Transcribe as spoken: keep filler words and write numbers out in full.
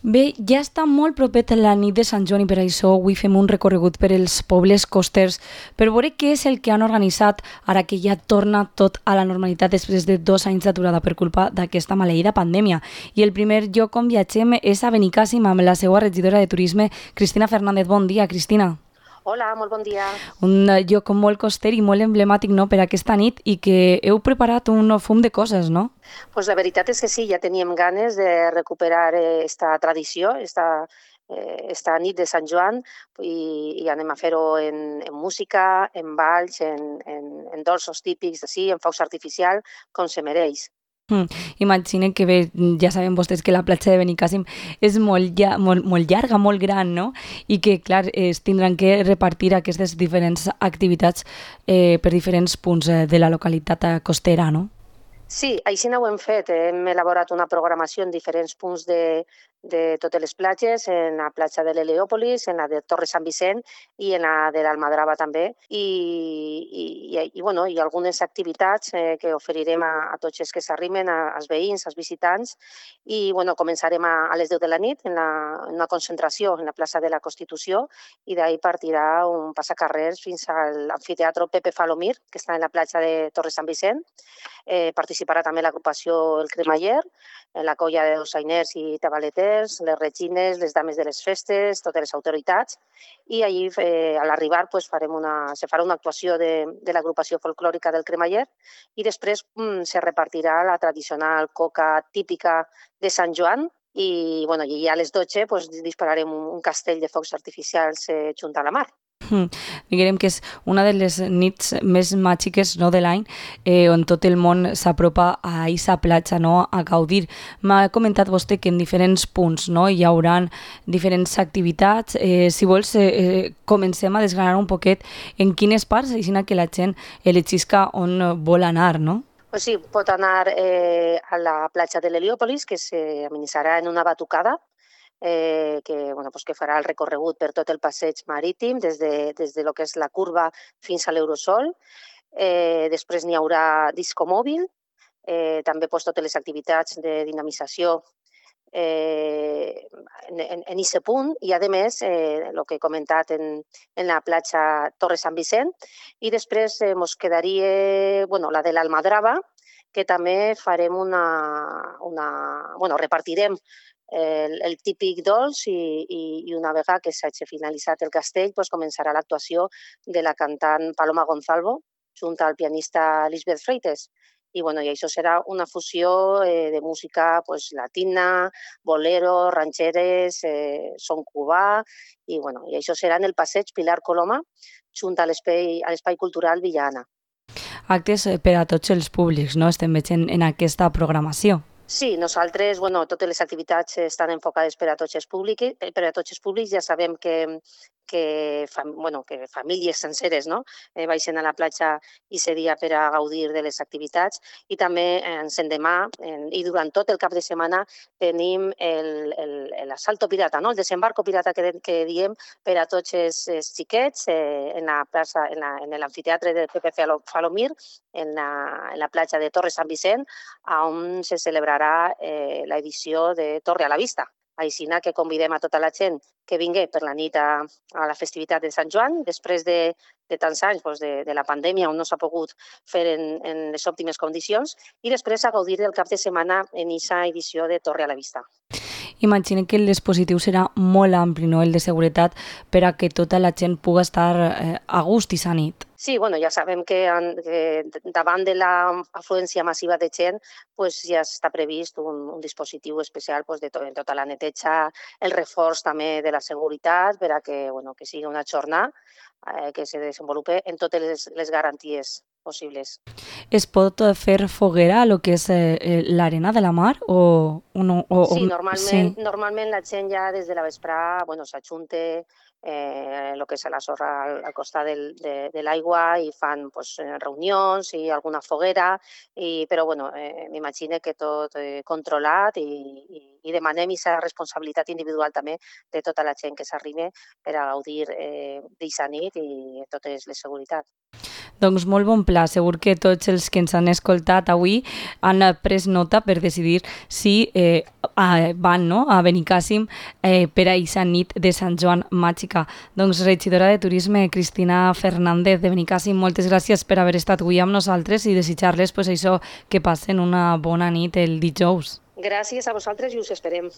Bé, ja està molt propet la nit de Sant Joan i per això avui fem un recorregut per els pobles costers per veure què és el que han organitzat ara que ja torna tot a la normalitat després de dos anys d'aturada per culpa d'aquesta maleïda pandèmia. I el primer lloc on viatgem és a Benicàssim amb la seva regidora de Turisme, Cristina Fernández. Bon dia, Cristina. Hola, molt bon dia. Un lloc molt coster i molt emblemàtic, no?, per aquesta nit i que heu preparat un fum de coses, no? Pues la veritat és que sí, ja teníem ganes de recuperar esta tradició, esta, eh, esta nit de Sant Joan, i, i anem a fer-ho en, en música, en balls, en, en, en dolços típics, sí, en focs artificial, com se mereix. Mm. Imaginen que bé, ja saben vostès que la platja de Benicàssim és molt, ja, molt, molt llarga, molt gran, no? I que, clar, es tindran que repartir aquestes diferents activitats eh, per diferents punts eh, de la localitat costera, no? Sí, així no ho hem fet. Hem elaborat una programació en diferents punts de, de totes les platges, en la platja de l'Heliòpolis, en la de Torre Sant Vicent i en la de l'Almadrava també. I, i, i, i, bueno, i algunes activitats eh, que oferirem a, a tots els que s'arrimen, als veïns, als visitants. I bueno, començarem a, a les deu de la nit en, la, en una concentració en la plaça de la Constitució i d'ahir partirà un passacarrers fins a l'amfiteatre Pepe Falomir, que està en la platja de Torre Sant Vicent. Eh, participarà també l'agrupació El Cremaller, la colla de dolçainers i tabaleters, les regines, les dames de les festes, totes les autoritats. I allí, eh, a l'arribar, pues, farem una, se farà una actuació de, de l'agrupació folclòrica del Cremaller i després mm, se repartirà la tradicional coca típica de Sant Joan i, bueno, i a les dotze pues, dispararem un, un castell de focs artificials eh, junt a la mar. Mm. Diguem que és una de les nits més màgiques, no, de l'any, eh, on tot el món s'apropa a aquesta platja, no, a gaudir. M'ha comentat vostè que en diferents punts, no, hi haurà diferents activitats. Eh, si vols, eh, eh, comencem a desgranar un poquet en quines parts, així que la gent elegisca on vol anar, no? Pues sí, pot anar eh, a la platja de l'Heliòpolis, que s'amenitzarà en una batucada, eh, que, bueno, pues que farà el recorregut per tot el passeig marítim, des de, des de lo que és la curva fins a l'Eurosol. Eh, després n'hi haurà disco mòbil, eh, també pues, totes les activitats de dinamització eh, en, en, en aquest punt, i a més, eh, el que he comentat en, en la platja Torre Sant Vicent, i després eh, mos quedaria bueno, la de l'Almadrava, que també farem una, una bueno, repartirem el, el típic dolç i, i, i una vegada que s'hagi finalitzat el castell pues, començarà l'actuació de la cantant Paloma Gonzalvo junt al pianista Lisbeth Freites. I, bueno, i això serà una fusió eh, de música pues, latina, bolero, rancheres, eh, son cubà, i, bueno, i això serà en el passeig Pilar Coloma junt a l'espai cultural Villa Anna. Actes per a tots els públics, no?, estem veient en aquesta programació. Sí, nosaltres, bueno, totes les activitats estan enfocades per a tots els públics, per a tots els públics. Ja sabem que, que, bueno, que famílies senceres no? eh, baixen a la platja i aquest dia per a gaudir de les activitats. I també ens endemà en, i durant tot el cap de setmana tenim l'assalto pirata, no? El desembarco pirata que, que diem per a tots els, els xiquets eh, en la plaça, en l'amfiteatre de Pepe Falomir, en la, en la platja de Torre Sant Vicent, on se celebrarà eh, l'edició de Torre a la Vista. Així que convidem a tota la gent que vingui per la nit a, a la festivitat de Sant Joan, després de, de tants anys doncs de, de la pandèmia, on no s'ha pogut fer en, en les òptimes condicions, i després a gaudir del cap de setmana en aquesta edició de Torre a la Vista. Imaginem que el dispositiu serà molt ampli, no?, el de seguretat, per a que tota la gent pugui estar eh, a gust aquesta nit. Sí, bueno, ja sabem que, que davant de l'afluència massiva de gent pues, ja està previst un, un dispositiu especial pues, de to, tota la neteja, el reforç també de la seguretat per a que, bueno, que sigui una jornada eh, que se desenvolupe en totes les, les garanties possibles. Es pot fer foguera a lo que és eh, l'arena de la mar? O, o no, o, sí, o, normalment, sí, normalment la gent ja des de la vesprà bueno, s'ajunta eh, el que és la sorra al, al costat del, de, de l'aigua i fan pues, reunions i alguna foguera, i, però bueno, eh, m'imagino que tot eh, controlat i, i, i demanem aquesta responsabilitat individual també de tota la gent que s'arriba per a gaudir eh, d'aquesta nit i totes les seguretats. Doncs molt bon pla, segur que tots els que ens han escoltat avui han pres nota per decidir si eh, van no? a Benicàssim eh, per a aquesta nit de Sant Joan Màgica. Doncs regidora de Turisme, Cristina Fernández de Benicàssim, moltes gràcies per haver estat avui amb nosaltres i desitjar-les pues, això que passen una bona nit el dijous. Gràcies a vosaltres i us esperem.